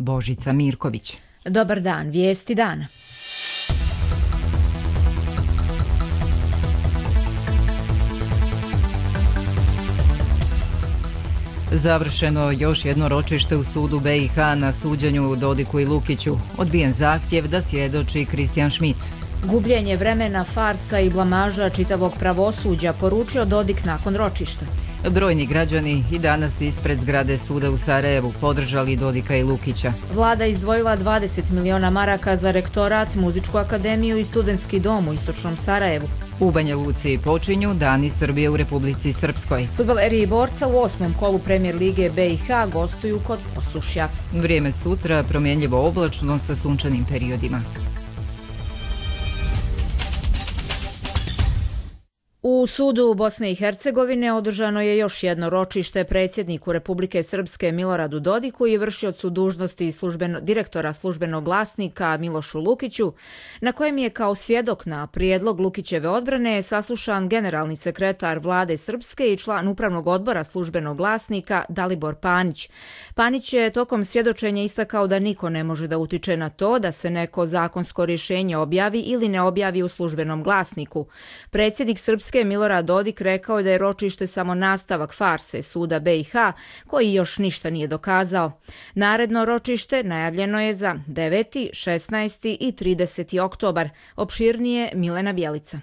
Božica Mirković. Dobar dan, vijesti dana. Završeno još jedno ročište u sudu BiH na suđenju Dodiku i Lukiću. Odbijen zahtjev da svjedoči Kristijan Schmidt. Gubljenje vremena, farsa i blamaža čitavog pravosuđa, poručio Dodik nakon ročišta. Brojni građani i danas ispred zgrade suda u Sarajevu podržali Dodika i Lukića. Vlada izdvojila 20 miliona maraka za rektorat, muzičku akademiju i studentski dom u istočnom Sarajevu. U Banja Luci počinju Dani Srbije u Republici Srpskoj. Fudbaleri Borca u 8. kolu Premier lige BiH gostuju kod Posušja. Vrijeme sutra promjenljivo oblačno sa sunčanim periodima. U sudu Bosne i Hercegovine održano je još jedno ročište predsjedniku Republike Srpske Miloradu Dodiku i vršiocu dužnosti direktora službenog glasnika Milošu Lukiću, na kojem je kao svjedok na prijedlog Lukićeve odbrane saslušan generalni sekretar Vlade Srpske i član upravnog odbora službenog glasnika Dalibor Panić. Panić je tokom svjedočenja istakao da niko ne može da utiče na to da se neko zakonsko rješenje objavi ili ne objavi u službenom glasniku. Predsjednik Srpske Milorad Dodik rekao je da je ročište samo nastavak farse suda BiH, koji još ništa nije dokazao. Naredno ročište najavljeno je za 9., 16. i 30. oktobar. Opširnije Milena Bjelica.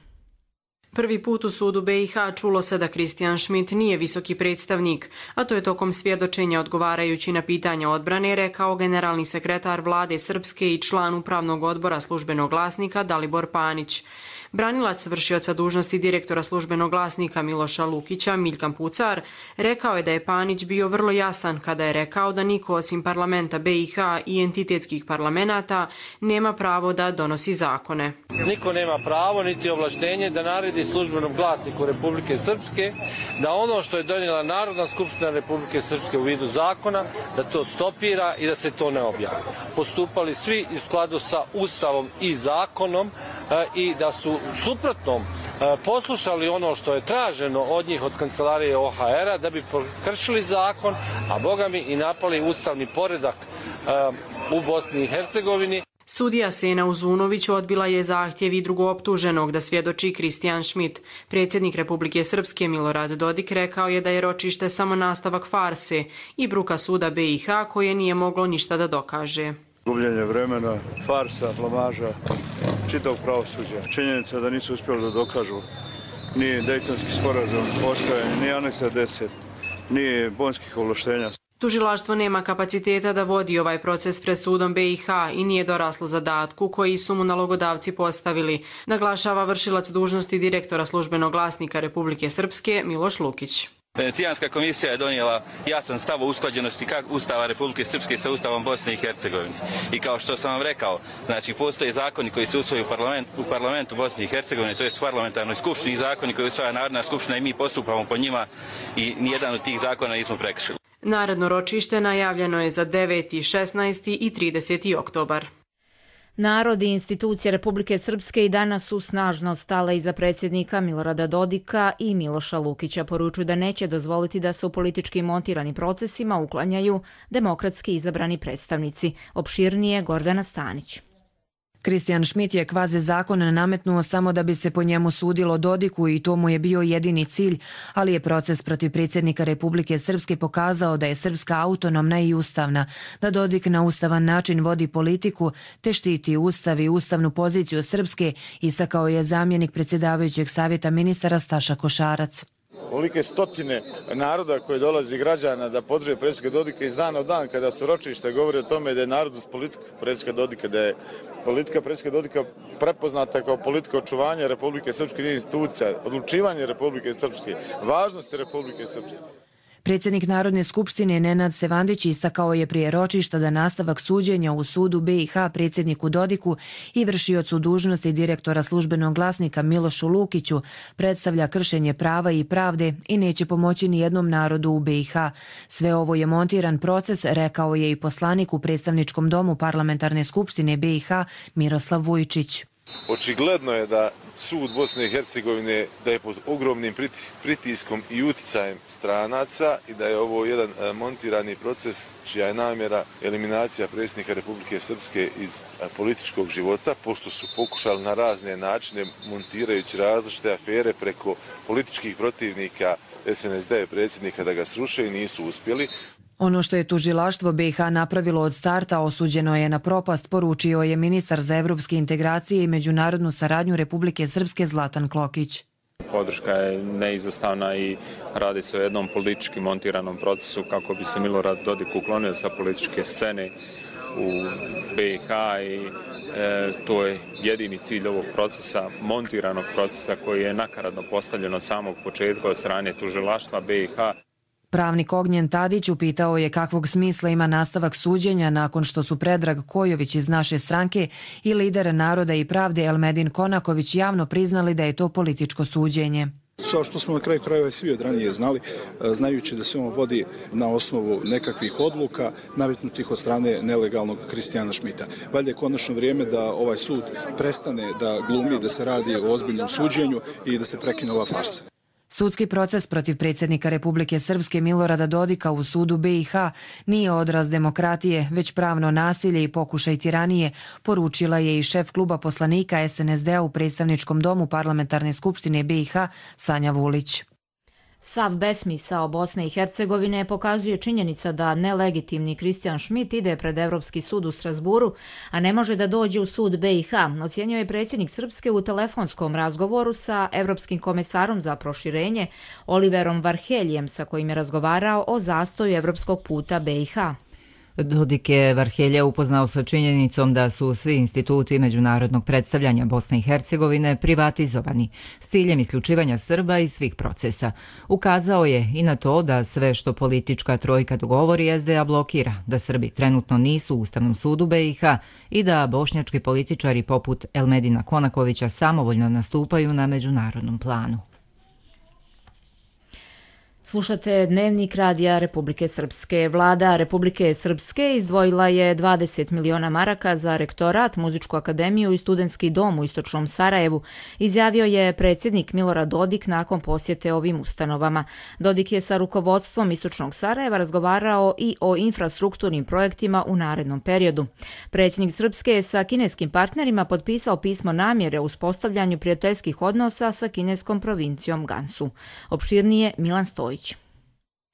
Prvi put u sudu BiH čulo se da Kristijan Schmidt nije visoki predstavnik, a to je tokom svjedočenja odgovarajući na pitanja odbrane rekao generalni sekretar Vlade Srpske i član upravnog odbora službenog glasnika Dalibor Panić. Branilac vršioca dužnosti direktora službenog glasnika Miloša Lukića, Miljkan Pucar, rekao je da je Panić bio vrlo jasan kada je rekao da niko osim parlamenta BiH i entitetskih parlamenata nema pravo da donosi zakone. Niko nema pravo niti ovlaštenje da naredi službenom glasniku Republike Srpske da ono što je donijela Narodna skupština Republike Srpske u vidu zakona, da to stopira i da se to ne objavi. Postupali svi u skladu sa Ustavom i zakonom i da su suprotnom poslušali ono što je traženo od njih od kancelarije OHR-a da bi prekršili zakon, a bogami i napali ustavni poredak u Bosni i Hercegovini. Sudija Sena Uzunović odbila je zahtjev i drugooptuženog da svjedoči Kristijan Schmidt. Predsjednik Republike Srpske Milorad Dodik rekao je da je ročište samo nastavak farse i bruka suda BiH koje nije moglo ništa da dokaže. Gubljenje vremena, farsa, blamaža, čitavog pravosuđa. Činjenica da nisu uspjeli da dokažu ni Dejtonski sporazum postojanje, ni aneksa 10, ni bonskih ovlaštenja. Tužilaštvo nema kapaciteta da vodi ovaj proces pred sudom BiH i nije doraslo zadatku koji su mu nalogodavci postavili, naglašava vršilac dužnosti direktora službenog glasnika Republike Srpske Miloš Lukić. Venecijanska komisija je donijela jasan stav o usklađenosti Ustava Republike Srpske sa Ustavom Bosne i Hercegovine. I kao što sam vam rekao, znači postoje zakoni koji se usvoju u parlamentu Bosne i Hercegovine, to je u parlamentarnoj skupštini, zakoni koji usvaja Narodna skupština i mi postupamo po njima i nijedan od tih zakona nismo prekršili. Naredno ročište najavljeno je za 9., 16. i 30. oktobar. Narod i institucije Republike Srpske i danas su snažno stale iza predsjednika Milorada Dodika i Miloša Lukića. Poručuju da neće dozvoliti da se u politički montirani procesima uklanjaju demokratski izabrani predstavnici. Opširnije Gordana Stanić. Kristijan Schmidt je kvazi zakon nametnuo samo da bi se po njemu sudilo Dodiku i to mu je bio jedini cilj, ali je proces protiv predsjednika Republike Srpske pokazao da je Srpska autonomna i ustavna, da Dodik na ustavan način vodi politiku te štiti ustav i ustavnu poziciju Srpske, istakao je zamjenik predsjedavajućeg savjeta ministara Staša Košarac. Ovolike stotine naroda koje dolazi građana da podrže predsjednika Dodika iz dana u dan kada su ročišta govori o tome da je narod uz politiku predsjednika Dodika, da je politika predsjednika Dodika prepoznata kao politika očuvanja Republike Srpske institucija, odlučivanje Republike Srpske, važnosti Republike Srpske. Predsjednik Narodne skupštine Nenad Stevandić istakao je prije ročišta da nastavak suđenja u sudu BiH predsjedniku Dodiku i vršiocu dužnosti direktora službenog glasnika Milošu Lukiću predstavlja kršenje prava i pravde i neće pomoći ni jednom narodu u BiH. Sve ovo je montiran proces, rekao je i poslanik u predstavničkom domu parlamentarne skupštine BiH Miroslav Vujčić. Očigledno je da sud Bosne i Hercegovine da je pod ogromnim pritiskom i uticajem stranaca i da je ovo jedan montirani proces čija je namjera eliminacija predsjednika Republike Srpske iz političkog života, pošto su pokušali na razne načine, montirajući različite afere preko političkih protivnika SNSD predsjednika da ga sruše i nisu uspjeli. Ono što je tužilaštvo BiH napravilo od starta osuđeno je na propast, poručio je ministar za evropske integracije i međunarodnu saradnju Republike Srpske Zlatan Klokić. Podrška je neizostavna i radi se o jednom politički montiranom procesu kako bi se Milorad Dodik uklonio sa političke scene u BiH i to je jedini cilj ovog procesa, montiranog procesa koji je nakaradno postavljen od samog početka od strane tužilaštva BiH. Pravnik Ognjen Tadić upitao je kakvog smisla ima nastavak suđenja nakon što su Predrag Kojović iz naše stranke i lider Naroda i pravde Elmedin Konaković javno priznali da je to političko suđenje. Kao što smo na kraju krajeva svi od ranije znali, znajući da se on vodi na osnovu nekakvih odluka nametnutih od strane nelegalnog Kristijana Šmita. Valjda je konačno vrijeme da ovaj sud prestane da glumi, da se radi o ozbiljnom suđenju i da se prekine ova farsa. Sudski proces protiv predsjednika Republike Srpske Milorada Dodika u sudu BiH nije odraz demokratije, već pravno nasilje i pokušaj tiranije, poručila je i šef kluba poslanika SNSD-a u predstavničkom domu Parlamentarne skupštine BiH Sanja Vulić. Sav besmisao Bosne i Hercegovine pokazuje činjenica da nelegitimni Kristijan Šmit ide pred Evropski sud u Strasburu, a ne može da dođe u sud BiH, ocjenio je predsjednik Srpske u telefonskom razgovoru sa Evropskim komesarom za proširenje Oliverom Varheljem, sa kojim je razgovarao o zastoju evropskog puta BiH. Dodik je Varhelja upoznao sa činjenicom da su svi instituti međunarodnog predstavljanja Bosne i Hercegovine privatizovani s ciljem isključivanja Srba iz svih procesa. Ukazao je i na to da sve što politička trojka dogovori SDA blokira, da Srbi trenutno nisu u Ustavnom sudu BiH i da bošnjački političari poput Elmedina Konakovića samovoljno nastupaju na međunarodnom planu. Slušate Dnevnik Radija Republike Srpske. Vlada Republike Srpske izdvojila je 20 miliona maraka za rektorat, muzičku akademiju i studentski dom u istočnom Sarajevu, izjavio je predsjednik Milorad Dodik nakon posjete ovim ustanovama. Dodik je sa rukovodstvom istočnog Sarajeva razgovarao i o infrastrukturnim projektima u narednom periodu. Predsjednik Srpske je sa kineskim partnerima potpisao pismo namjere o uspostavljanju prijateljskih odnosa sa kineskom provincijom Gansu. Opširnije Milan Stojić.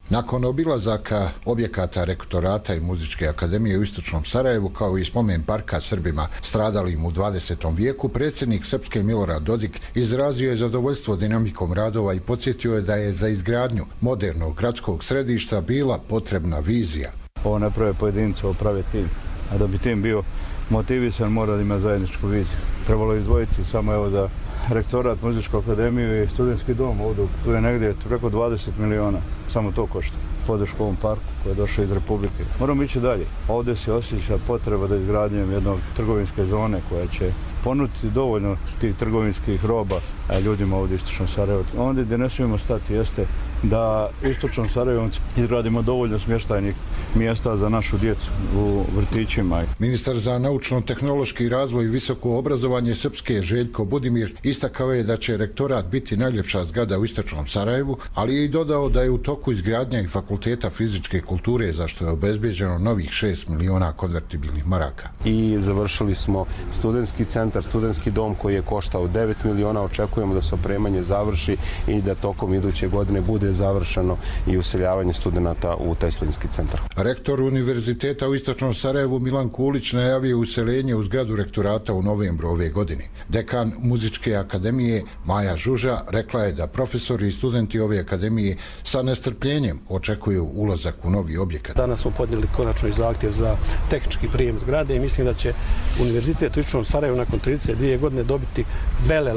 Nakon obilazaka objekata rektorata i muzičke akademije u istočnom Sarajevu kao i spomen parka Srbima stradalim u 20. vijeku, predsjednik Srpske Milorad Dodik izrazio je zadovoljstvo dinamikom radova i podsjetio je da je za izgradnju modernog gradskog središta bila potrebna vizija. Ovo ne prave pojedince, ovo prave tim. A da bi tim bio motivisan, mora da ima zajedničku viziju. Trebalo je izdvojiti samo evo za rektorat, muzičku akademiju i studentski dom ovdje. Tu je negdje preko 20 miliona. Samo to košta. Podršku ovom parku koji je došao iz Republike. Moramo ići dalje. Ovdje se osjeća potreba da izgradnjem jednog trgovinske zone koja će ponuditi dovoljno tih trgovinskih roba ljudima ovdje u istočnom Sarajevu. Ondje gdje ne smijemo stati jeste da istočnom Sarajevu izgradimo dovoljno smještajnih mjesta za našu djecu u vrtićima. Ministar za naučno-tehnološki razvoj i visoko obrazovanje Srpske Željko Budimir istakao je da će rektorat biti najljepša zgrada u istočnom Sarajevu, ali je i dodao da je u toku izgradnja i fakulteta fizičke kulture za što je obezbeđeno novih 6 miliona konvertibilnih maraka. I završili smo studentski centar, studentski dom koji je koštao 9 miliona. Očekujemo da se opremanje završi i da tokom iduće godine bude završeno i useljavanje studenata u taj studentski centar. Rektor Univerziteta u istočnom Sarajevu Milan Kulić najavio useljenje u zgradu rektorata u novembru ove godine. Dekan muzičke akademije Maja Žuža rekla je da profesori i studenti ove akademije sa nestrpljenjem očekuju ulazak u novi objekat. Danas smo podnijeli konačno i zahtjev za tehnički prijem zgrade i mislim da će Univerzitet u istočnom Sarajevu nakon 32 godine dobiti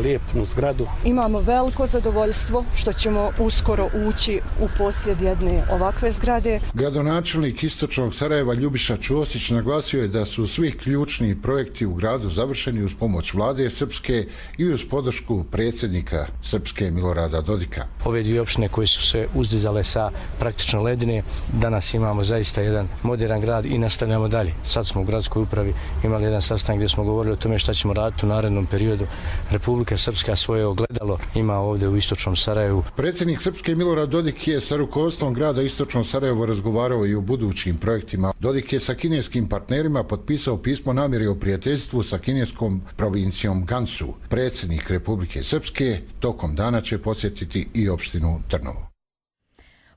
lijepnu zgradu. Imamo veliko zadovoljstvo što ćemo uskoro ući u posjed jedne ovakve zgrade. Gradonačelnik Istočnog Sarajeva Ljubiša Ćosić naglasio je da su svi ključni projekti u gradu završeni uz pomoć vlade Srpske i uz podršku predsjednika Srpske Milorada Dodika. Ove dvije opštine koje su se uzdizale sa praktično ledine, danas imamo zaista jedan modern grad i nastavljamo dalje. Sad smo u gradskoj upravi imali jedan sastanak gdje smo govorili o tome šta ćemo raditi u narednom periodu. Republika Srpska svoje ogledalo ima ovdje u Istočnom Sarajevu. Predsjednik Srpske Milorad Dodik je sa rukovodstvom grada Istočno Sarajevo razgovarao i o budućim projektima. Dodik je sa kineskim partnerima potpisao pismo namjere o prijateljstvu sa kineskom provincijom Gansu. Predsjednik Republike Srpske tokom dana će posjetiti i opštinu Trnovo.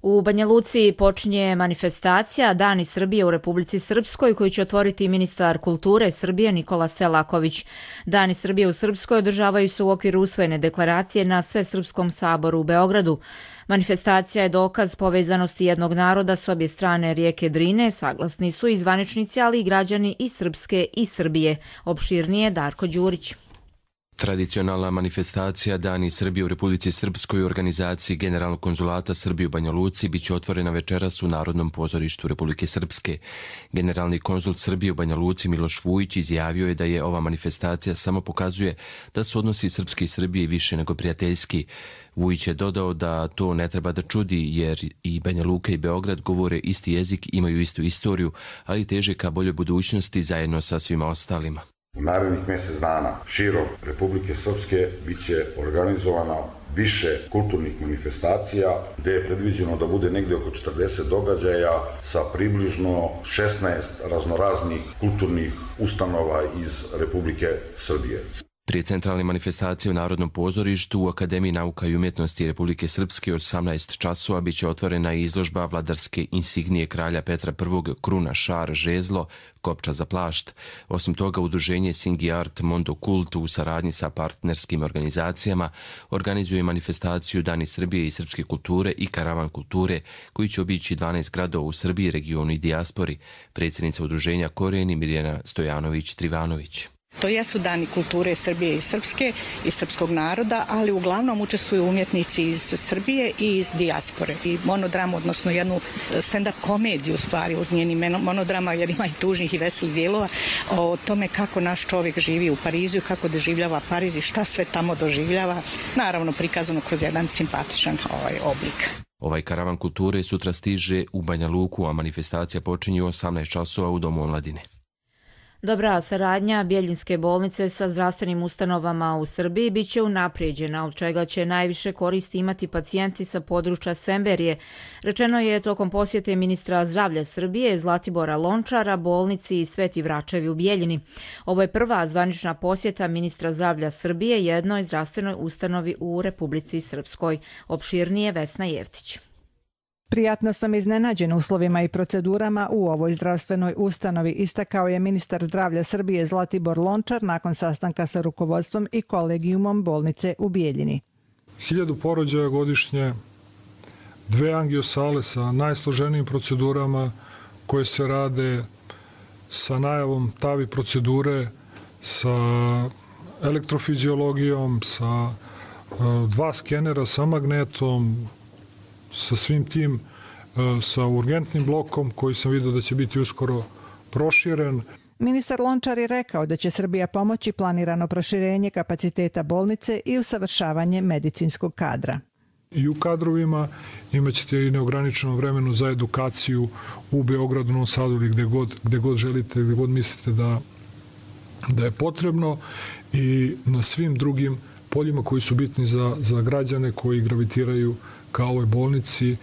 U Banja Luci počinje manifestacija Dani Srbije u Republici Srpskoj koju će otvoriti ministar kulture Srbije Nikola Selaković. Dani Srbije u Srpskoj održavaju se u okviru usvojene deklaracije na Svesrpskom saboru u Beogradu. Manifestacija je dokaz povezanosti jednog naroda s obje strane rijeke Drine, saglasni su i zvaničnici, ali i građani i Srpske i Srbije. Opširnije Darko Đurić. Tradicionalna manifestacija Dani Srbije u Republici Srpskoj u organizaciji Generalnog konzulata Srbije u Banja Luci biće otvorena večeras u Narodnom pozorištu Republike Srpske. Generalni konzul Srbije u Banja Luci Miloš Vujić izjavio je da je ova manifestacija samo pokazuje da su odnosi Srpske i Srbije više nego prijateljski. Vujić je dodao da to ne treba da čudi jer i Banja Luka i Beograd govore isti jezik, imaju istu istoriju, ali teže ka boljoj budućnosti zajedno sa svima ostalima. U narednih mjesec dana širom Republike Srpske bit će organizovana više kulturnih manifestacija gdje je predviđeno da bude negdje oko 40 događaja sa približno 16 raznoraznih kulturnih ustanova iz Republike Srbije. Prije centralne manifestacije u Narodnom pozorištu u Akademiji nauka i umjetnosti Republike Srpske od 18 časova biće otvorena izložba vladarske insignije kralja Petra I, kruna, šar, žezlo, kopča za plašt. Osim toga, udruženje Singi Art Mondo Kult u saradnji sa partnerskim organizacijama organizuje manifestaciju Dani Srbije i srpske kulture i karavan kulture koji će obići 12 gradova u Srbiji, regionu i dijaspori. Predsjednica udruženja Korijeni Mirjana Stojanović-Trivanović. To jesu dani kulture Srbije i Srpske i srpskog naroda, ali uglavnom učestvuju umjetnici iz Srbije i iz dijaspore. I monodramu, odnosno jednu stand-up komediju stvari od njeni monodrama, jer ima i tužnih i veselih dijelova, o tome kako naš čovjek živi u Parizu i kako doživljava Pariz i šta sve tamo doživljava, naravno prikazano kroz jedan simpatičan oblik. Ovaj karavan kulture sutra stiže u Banja Luku, a manifestacija počinje u 18 časova u Domu omladine. Dobra saradnja Bjeljinske bolnice sa zdravstvenim ustanovama u Srbiji biće unaprijeđena, od čega će najviše koristi imati pacijenti sa područja Semberije. Rečeno je tokom posjete ministra zdravlja Srbije Zlatibora Lončara bolnici Sveti Vračevi u Bjeljini. Ovo je prva zvanična posjeta ministra zdravlja Srbije jednoj zdravstvenoj ustanovi u Republici Srpskoj. Opširnije Vesna Jevtić. Prijatno sam iznenađen uslovima i procedurama u ovoj zdravstvenoj ustanovi, istakao je ministar zdravlja Srbije Zlatibor Lončar nakon sastanka sa rukovodstvom i kolegijumom bolnice u Bijeljini. 1000 porođaja godišnje, 2 angiosale sa najsloženijim procedurama koje se rade sa najavom TAVI procedure, sa elektrofiziologijom, sa 2 skenera sa magnetom, sa svim tim, sa urgentnim blokom koji sam vidio da će biti uskoro proširen. Ministar Lončar je rekao da će Srbija pomoći planirano proširenje kapaciteta bolnice i usavršavanje medicinskog kadra. I u kadrovima imaćete i neograničeno vremenu za edukaciju u Beogradu, Novom Sadu ili gde god želite, gde god mislite da je potrebno i na svim drugim poljima koji su bitni za građane koji gravitiraju kao ovoj bolnici.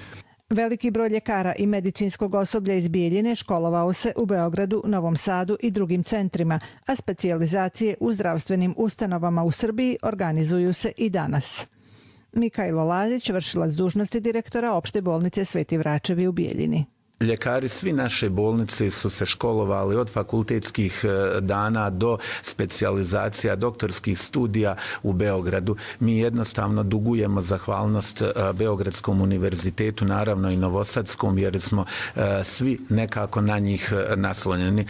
Veliki broj ljekara i medicinskog osoblja iz Bijeljine školovao se u Beogradu, Novom Sadu i drugim centrima, a specijalizacije u zdravstvenim ustanovama u Srbiji organizuju se i danas. Mikajlo Lazić, vršilac dužnosti direktora opšte bolnice Sveti Vračevi u Bijeljini. Ljekari svi naše bolnice su se školovali od fakultetskih dana do specijalizacija, doktorskih studija u Beogradu. Mi jednostavno dugujemo zahvalnost Beogradskom univerzitetu, naravno i Novosadskom, jer smo svi nekako na njih naslonjeni.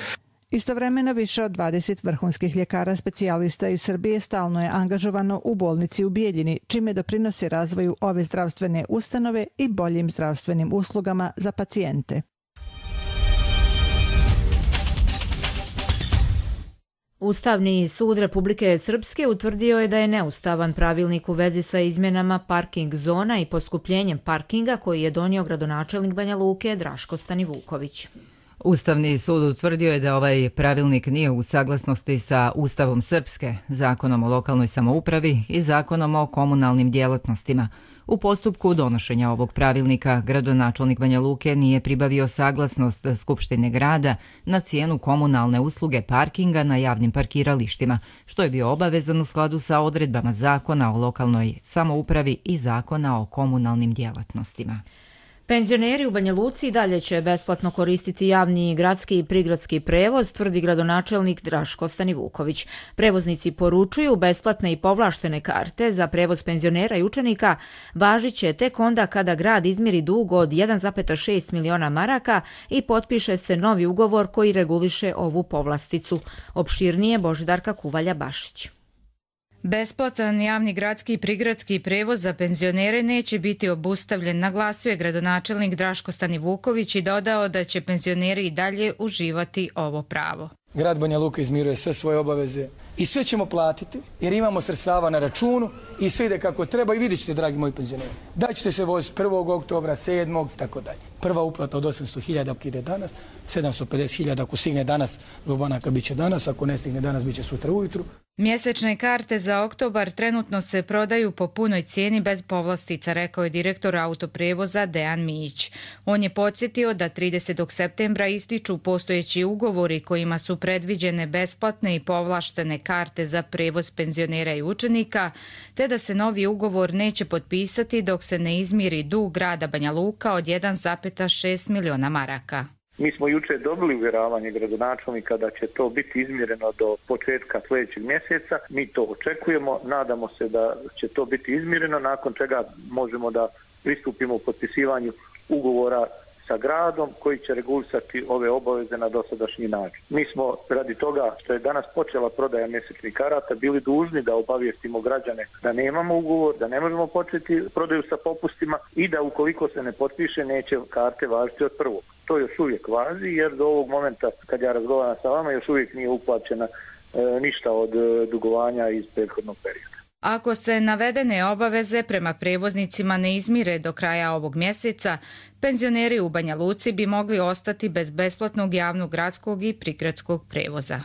Istovremeno više od 20 vrhunskih ljekara specijalista iz Srbije stalno je angažovano u bolnici u Bijeljini, čime doprinosi razvoju ove zdravstvene ustanove i boljim zdravstvenim uslugama za pacijente. Ustavni sud Republike Srpske utvrdio je da je neustavan pravilnik u vezi sa izmjenama parking zona i poskupljenjem parkinga koji je donio gradonačelnik Banja Luke Draško Stanivuković. Ustavni sud utvrdio je da ovaj pravilnik nije u saglasnosti sa Ustavom Srpske, Zakonom o lokalnoj samoupravi i Zakonom o komunalnim djelatnostima. U postupku donošenja ovog pravilnika gradonačelnik Banja Luke nije pribavio saglasnost Skupštine grada na cijenu komunalne usluge parkinga na javnim parkiralištima, što je bio obavezan u skladu sa odredbama Zakona o lokalnoj samoupravi i Zakona o komunalnim djelatnostima. Penzioneri u Banja Luci dalje će besplatno koristiti javni gradski i prigradski prevoz, tvrdi gradonačelnik Draško Stanivuković. Prevoznici poručuju besplatne i povlaštene karte za prevoz penzionera i učenika važit će tek onda kada grad izmiri dug od 1,6 miliona maraka i potpiše se novi ugovor koji reguliše ovu povlasticu. Opširnije Božidarka Kuvalja-Bašić. Besplatan javni gradski i prigradski prevoz za penzionere neće biti obustavljen, naglasio je gradonačelnik Draško Stanivuković i dodao da će penzioneri i dalje uživati ovo pravo. Grad Banja Luka izmiruje sve svoje obaveze i sve ćemo platiti jer imamo sredstava na računu i sve ide kako treba i vidjet ćete, dragi moji penzioneri. Da ćete se voziti 1. oktobra, 7. tako dalje. Prva uplata od 800.000 ide danas, 750.000 ako stigne danas, do banaka bit će danas, ako ne stigne danas bit će sutra ujutru. Mjesečne karte za oktobar trenutno se prodaju po punoj cijeni bez povlastica, rekao je direktor autoprevoza Dejan Mijić. On je podsjetio da 30. septembra ističu postojeći ugovori kojima su predviđene besplatne i povlaštene karte za prevoz penzionera i učenika, te da se novi ugovor neće potpisati dok se ne izmiri dug grada Banja Luka od 1,6 miliona maraka. Mi smo jučer dobili uvjeravanje gradonačelnika da će to biti izmjereno do početka sljedećeg mjeseca. Mi to očekujemo, nadamo se da će to biti izmjereno, nakon čega možemo da pristupimo u potpisivanju ugovora sa gradom koji će regulisati ove obaveze na dosadašnji način. Mi smo radi toga što je danas počela prodaja mjesečnih karata bili dužni da obavijestimo građane da nemamo ugovor, da ne možemo početi prodaju sa popustima i da ukoliko se ne potpiše neće karte važiti od prvog. To još uvijek važi jer do ovog momenta kad ja razgovaram sa vama još uvijek nije uplaćena ništa od dugovanja iz prethodnog perioda. Ako se navedene obaveze prema prevoznicima ne izmire do kraja ovog mjeseca, penzioneri u Banja Luci bi mogli ostati bez besplatnog javnog gradskog i prigradskog prevoza.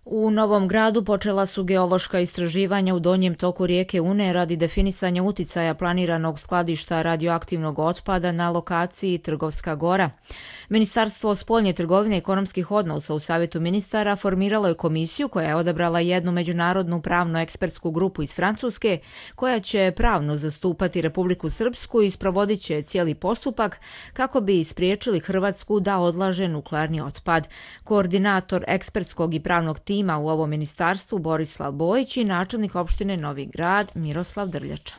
U Novom Gradu počela su geološka istraživanja u donjem toku rijeke Une radi definisanja uticaja planiranog skladišta radioaktivnog otpada na lokaciji Trgovska Gora. Ministarstvo spoljne trgovine i ekonomskih odnosa u Savjetu ministara formiralo je komisiju koja je odabrala jednu međunarodnu pravno-ekspertsku grupu iz Francuske koja će pravno zastupati Republiku Srpsku i sprovodit će cijeli postupak kako bi spriječili Hrvatsku da odlaže nuklearni otpad. Koordinator ekspertskog i pravnog tima u ovom ministarstvu Borislav Bojić i načelnik opštine Novi Grad Miroslav Drljača.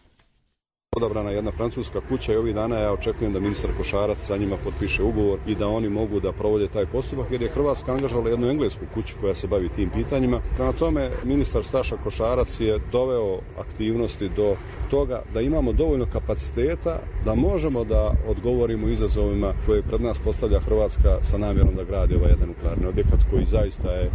Odabrana jedna francuska kuća i ovih dana ja očekujem da ministar Košarac sa njima potpiše ugovor i da oni mogu da provode taj postupak jer je Hrvatska angažovala jednu englesku kuću koja se bavi tim pitanjima. Prema tome, ministar Staša Košarac je doveo aktivnosti do toga da imamo dovoljno kapaciteta da možemo da odgovorimo izazovima koje pred nas postavlja Hrvatska sa namjerom da gradi ovaj jedan nuklearni objekat koji zaista je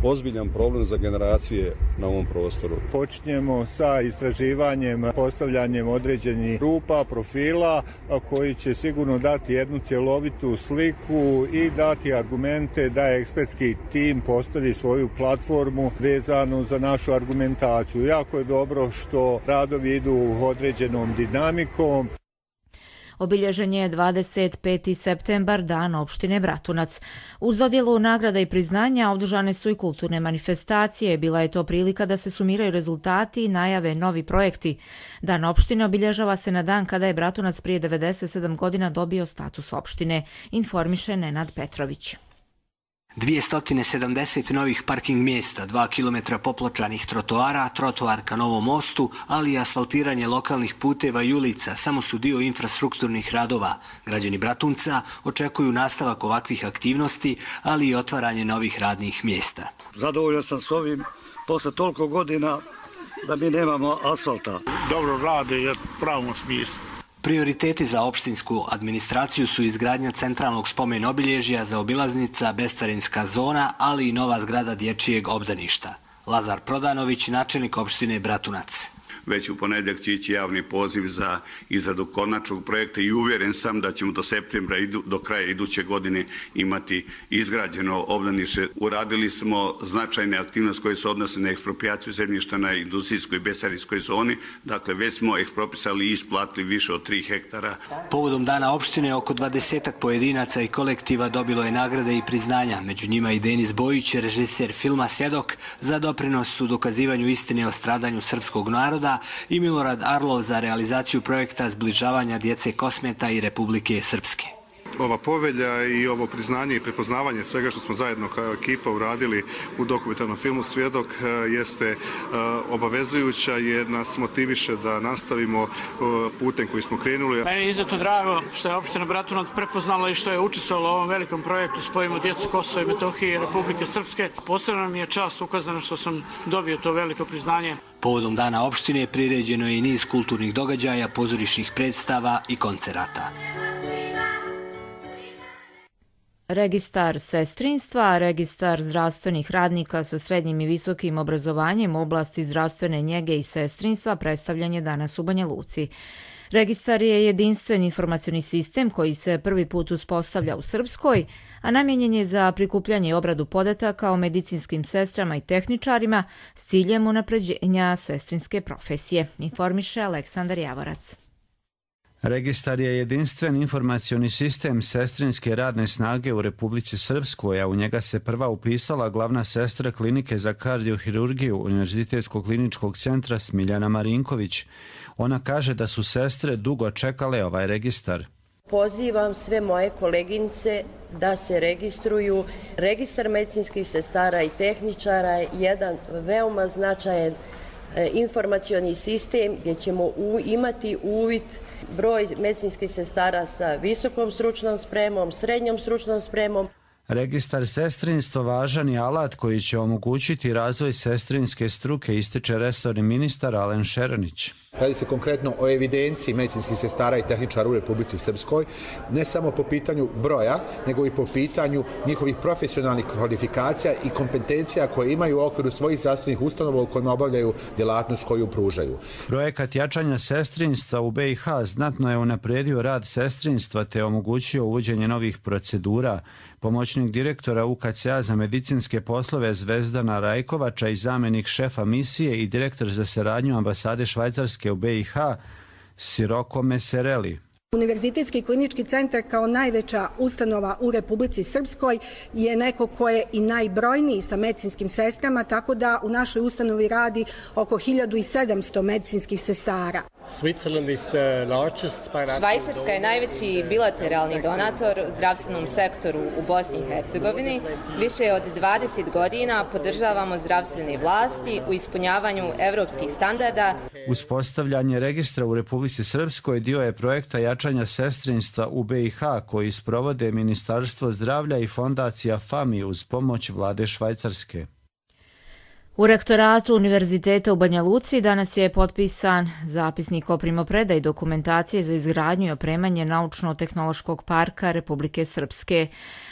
ozbiljan problem za generacije na ovom prostoru. Počinjemo sa istraživanjem, postavljanjem određenih grupa, profila koji će sigurno dati jednu cjelovitu sliku i dati argumente da ekspertski tim postavi svoju platformu vezanu za našu argumentaciju. Jako je dobro što radovi idu određenom dinamikom. Obilježen je 25. septembar, dan opštine Bratunac. Uz dodjelu nagrada i priznanja održane su i kulturne manifestacije. Bila je to prilika da se sumiraju rezultati i najave novi projekti. Dan opštine obilježava se na dan kada je Bratunac prije 97 godina dobio status opštine, informiše Nenad Petrović. 270 novih parking mjesta, 2 km popločanih trotoara, trotoar ka Novom mostu, ali i asfaltiranje lokalnih puteva i ulica samo su dio infrastrukturnih radova. Građani Bratunca očekuju nastavak ovakvih aktivnosti, ali i otvaranje novih radnih mjesta. Zadovoljan sam s ovim posle toliko godina da mi nemamo asfalta. Dobro rade je pravom smislu. Prioriteti za opštinsku administraciju su izgradnja centralnog spomen obilježja, zaobilaznica, bescarinska zona, ali i nova zgrada dječjeg obdaništa. Lazar Prodanović, načelnik opštine Bratunac. Već u ponedjeljak će ići javni poziv za izradu konačnog projekta i uvjeren sam da ćemo do septembra, do kraja iduće godine imati izgrađeno obdanište. Uradili smo značajne aktivnosti koje se odnose na eksproprijaciju zemljišta na industrijskoj i bescarinskoj zoni. Dakle, već smo ekspropisali i isplatili više od 3 hektara. Povodom dana opštine oko 20 pojedinaca i kolektiva dobilo je nagrade i priznanja. Među njima i Denis Bojić, režiser filma Svjedok, za doprinos u dokazivanju istine o stradanju srpskog naroda, i Milorad Arlov za realizaciju projekta zbližavanja djece Kosmeta i Republike Srpske. Ova povelja i ovo priznanje i prepoznavanje svega što smo zajedno kao ekipa uradili u dokumentarnom filmu Svjedok jeste obavezujuća jer nas motiviše da nastavimo putem koji smo krenuli. Meni je izuzetno drago što je opština Bratunac prepoznala i što je učestvovala u ovom velikom projektu Spojimo djecu Kosova i Metohije i Republike Srpske. Posebno mi je čast ukazana što sam dobio to veliko priznanje. Povodom dana opštine priređeno je i niz kulturnih događaja, pozorišnih predstava i koncerata. Registar sestrinstva, registar zdravstvenih radnika sa srednjim i visokim obrazovanjem u oblasti zdravstvene njege i sestrinstva predstavljen je danas u Banja Luci. Registar je jedinstven informacioni sistem koji se prvi put uspostavlja u Srpskoj, a namijenjen je za prikupljanje i obradu podataka o medicinskim sestrama i tehničarima s ciljem unapređenja sestrinske profesije, informiše Aleksandar Javorac. Registar je jedinstven informacioni sistem sestrinske radne snage u Republici Srpskoj, a u njega se prva upisala glavna sestra klinike za kardiohirurgiju Univerzitetskog kliničkog centra Smiljana Marinković. Ona kaže da su sestre dugo čekale ovaj registar. Pozivam sve moje koleginice da se registruju. Registar medicinskih sestara i tehničara je jedan veoma značajan informacioni sistem gdje ćemo imati uvid broj medicinskih sestara sa visokom stručnom spremom, srednjom stručnom spremom. Registar sestrinstva važan je alat koji će omogućiti razvoj sestrinske struke, ističe resorni ministar Alen Šeranić. Radi se konkretno o evidenciji medicinskih sestara i tehničara u Republici Srpskoj, ne samo po pitanju broja, nego i po pitanju njihovih profesionalnih kvalifikacija i kompetencija koje imaju u okviru svojih zdravstvenih ustanova u kojima obavljaju djelatnost koju pružaju. Projekat jačanja sestrinstva u BiH znatno je unaprijedio rad sestrinstva te omogućio uvođenje novih procedura. Pomoćnik direktora UKC-a za medicinske poslove Zvezdana Rajkovača i zamjenik šefa misije i direktor za saradnju ambasade Švajcarske u BiH Siroko Mesereli. Univerzitetski klinički centar kao najveća ustanova u Republici Srpskoj je neko ko je i najbrojniji sa medicinskim sestrama, tako da u našoj ustanovi radi oko 1700 medicinskih sestara. Švajcarska je najveći bilateralni donator zdravstvenom sektoru u Bosni i Hercegovini. Više od 20 godina podržavamo zdravstvene vlasti u ispunjavanju evropskih standarda. Uspostavljanje registra u Republici Srpskoj dio je projekta jačanja sestrinstva u BiH koji sprovode Ministarstvo zdravlja i fondacija FAMI uz pomoć vlade Švajcarske. U rektoratu Univerziteta u Banja Luci danas je potpisan zapisnik o primopredaji dokumentacije za izgradnju i opremanje Naučno-tehnološkog parka Republike Srpske.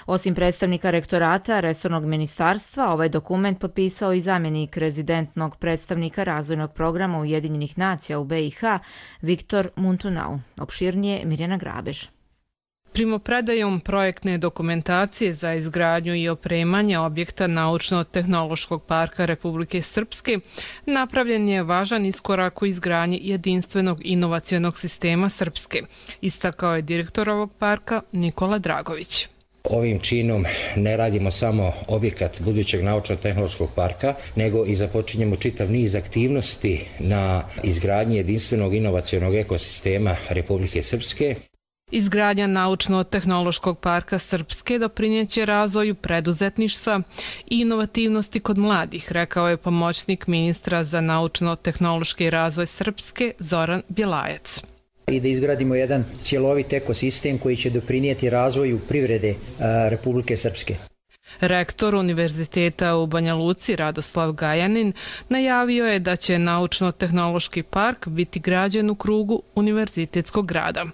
Osim predstavnika rektorata, resornog ministarstva, ovaj dokument potpisao i zamjenik rezidentnog predstavnika razvojnog programa Ujedinjenih nacija u BiH Viktor Muntunau. Opširnije Mirjana Grabež. Primopredajom projektne dokumentacije za izgradnju i opremanje objekta Naučno-tehnološkog parka Republike Srpske napravljen je važan iskorak u izgradnji jedinstvenog inovacionog sistema Srpske, istakao je direktor ovog parka Nikola Dragović. Ovim činom ne radimo samo objekat budućeg naučno-tehnološkog parka, nego i započinjemo čitav niz aktivnosti na izgradnji jedinstvenog inovacionog ekosistema Republike Srpske. Izgradnja naučno-tehnološkog parka Srpske doprinjeće razvoju preduzetništva i inovativnosti kod mladih, rekao je pomoćnik ministra za naučno-tehnološki razvoj Srpske Zoran Bjelajac. I da izgradimo jedan cjelovit ekosistem koji će doprinijeti razvoju privrede Republike Srpske. Rektor Univerziteta u Banja Luci Radoslav Gajanin najavio je da će naučno-tehnološki park biti građen u krugu univerzitetskog grada.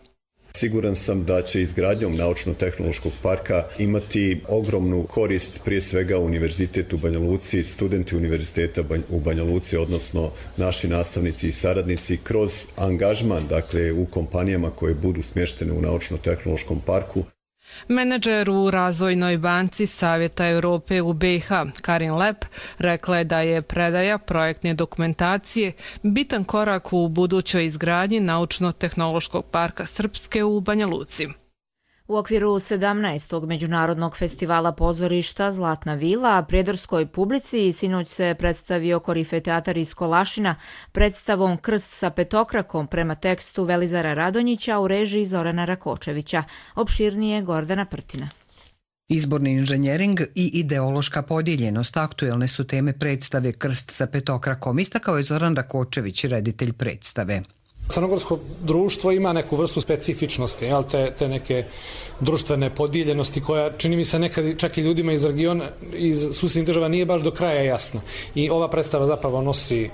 Siguran sam da će izgradnjom naučno-tehnološkog parka imati ogromnu korist prije svega Univerzitet u Banja Luci, studenti Univerziteta u Banja Luci, odnosno naši nastavnici i saradnici kroz angažman, dakle u kompanijama koje budu smještene u naučno-tehnološkom parku. Menadžer u Razvojnoj banci Savjeta Europe u BiH, Karin Lep, rekla je da je predaja projektne dokumentacije bitan korak u budućoj izgradnji naučno-tehnološkog parka Srpske u Banja Luci. U okviru 17. Međunarodnog festivala pozorišta Zlatna vila prijedorskoj publici sinoć se predstavio Korife teatar iz Kolašina predstavom Krst sa petokrakom prema tekstu Velizara Radonjića u režiji Zorana Rakočevića. Opširnije Gordana Prtina. Izborni inženjering i ideološka podijeljenost aktuelne su teme predstave Krst sa petokrakom, istakao je Zoran Rakočević, reditelj predstave. Crnogorsko društvo ima neku vrstu specifičnosti, te neke društvene podijeljenosti koja čini mi se nekad čak i ljudima iz regiona, iz susjednih država nije baš do kraja jasna. I ova predstava zapravo nosi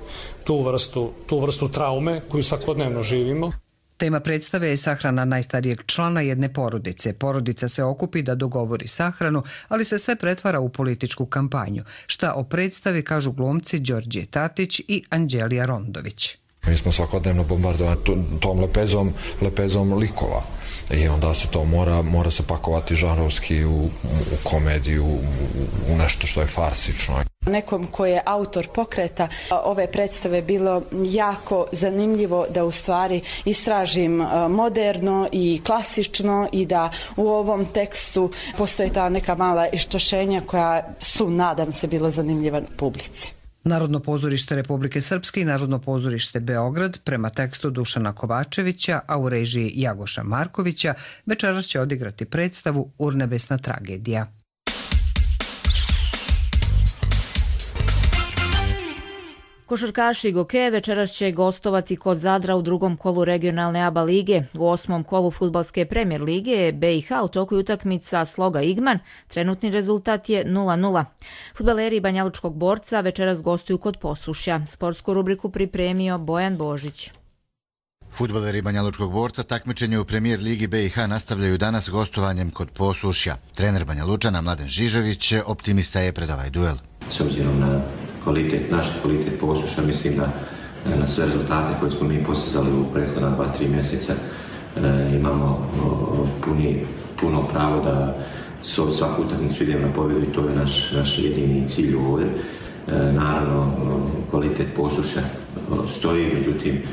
tu vrstu traume koju svakodnevno živimo. Tema predstave je sahrana najstarijeg člana jedne porodice. Porodica se okupi da dogovori sahranu, ali se sve pretvara u političku kampanju. Šta o predstavi kažu glumci Đorđe Tatić i Anđelija Rondović. Mi smo svakodnevno bombardovani tom lepezom likova i onda se to mora se pakovati žanrovski u komediju, u nešto što je farsično. Nekom ko je autor pokreta ove predstave bilo jako zanimljivo da u stvari istražim moderno i klasično i da u ovom tekstu postoje ta neka mala iščašenja koja su, nadam se, bila zanimljiva publici. Narodno pozorište Republike Srpske i Narodno pozorište Beograd prema tekstu Dušana Kovačevića, a u režiji Jagoša Markovića, večeras će odigrati predstavu Urnebesna tragedija. Košarkaši Goke večeras će gostovati kod Zadra u drugom kolu regionalne ABA lige. U 8. kolu fudbalske premijer lige BiH u toku utakmica Sloga Igman. Trenutni rezultat je 0:0. Fudbaleri Banjalučkog Borca večeras gostuju kod Posušja. Sportsku rubriku pripremio Bojan Božić. Fudbaleri Banjalučkog Borca takmičenje u premijer ligi BiH nastavljaju danas gostovanjem kod Posušja. Trener Banjalučana Mladen Žižević optimista je pred ovaj duel. S obzirom na naš kvalitet Posušja, mislim da na sve rezultate koje smo mi postizali u prethodna 2-3 mjeseca imamo puno pravo da svaku utakmicu idemo na pobjedu i to je naš jedini cilj ovdje. Naravno, kvalitet Posušja stoji, međutim,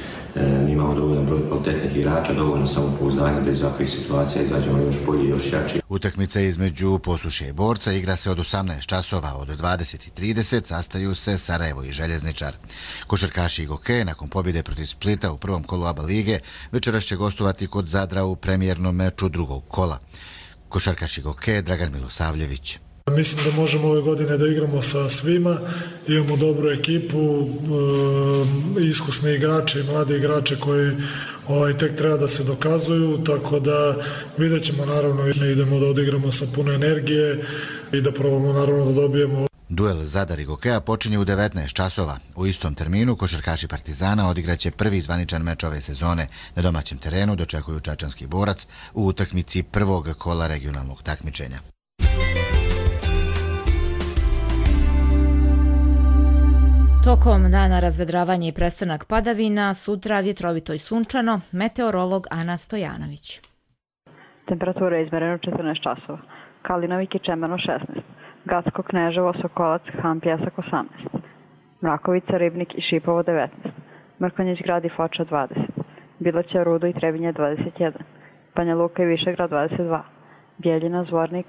mi imamo dovoljan broj kvalitetnih igrača, dovoljno samopouzdanja da iz ovakvih situacija izađemo još bolji i još jači. Utakmica između Posušja i Borca igra se od 18 časova, od 20:30 sastaju se Sarajevo i Željezničar. Košarkaši Goke nakon pobjede protiv Splita u prvom kolu ABA lige večeras će gostovati kod Zadra u premijernom meču drugog kola. Košarkaši Goke Dragan Milosavljević. Mislim da možemo ove godine da igramo sa svima, imamo dobru ekipu, iskusne igrače i mlade igrače koji tek treba da se dokazuju, tako da vidjet ćemo, naravno, idemo da odigramo sa puno energije i da probamo naravno da dobijemo. Duel Zadar i Gokea počinje u 19 časova. U istom terminu košarkaši Partizana odigraće prvi zvaničan meč ove sezone. Na domaćem terenu dočekuju Čačanski Borac u utakmici prvog kola regionalnog takmičenja. Tokom dana razvedravanje i prestanak padavina, sutra vjetrovito i sunčano, meteorolog Ana Stojanović. Temperatura je izmerena 14 časova. Kalinovik i Čemerno 16. Gacko Kneževo, Sokolac, Han Pjesak 18. Mrakovica, Ribnik i Šipovo 19. Mrkonjić grad i Foča 20. Bilaća, Rudo i Trebinje 21. Banja Luka i Višegrad 22. Bijeljina, Zvornik,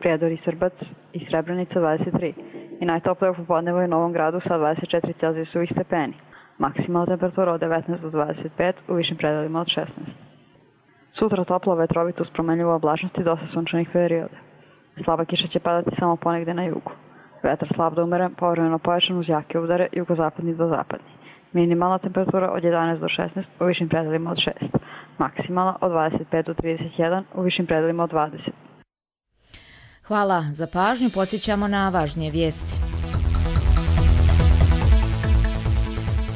Prijedor i Srbac i Srebrenica 23. I najtoplije u popodnevu je u Novom Gradu sa 24 celzijusovih stepeni. Maksimalna temperatura od 19 do 25, u višim predelima od 16. Sutra toplo, vetrovito uz promenljivu oblačnost i dosta sunčanih perioda. Slaba kiša će padati samo ponegde na jugu. Vetar slab do umeren, povremeno pojačan uz jake udare jugozapadni do zapadni. Minimalna temperatura od 11 do 16, u višim predelima od 6. Maksimalna od 25 do 31, u višim predelima od 20. Hvala za pažnju, podsjećamo na važnije vijesti.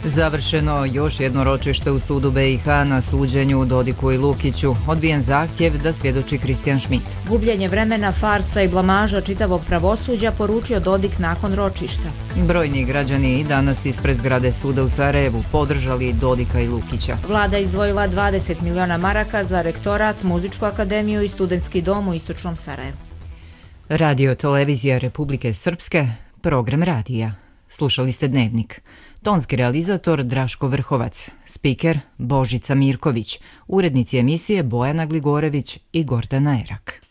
Završeno još jedno ročište u sudu BiH na suđenju Dodiku i Lukiću. Odbijen zahtjev da svjedoči Kristijan Schmidt. Gubljenje vremena, farsa i blamaža čitavog pravosuđa, poručio Dodik nakon ročišta. Brojni građani i danas ispred zgrade suda u Sarajevu podržali Dodika i Lukića. Vlada izdvojila 20 miliona maraka za rektorat, muzičku akademiju i studentski dom u istočnom Sarajevu. Radio Televizija Republike Srpske, program radija. Slušali ste Dnevnik. Tonski realizator Draško Vrhovac, spiker Božica Mirković, urednici emisije Bojana Gligorević i Gordana Erak.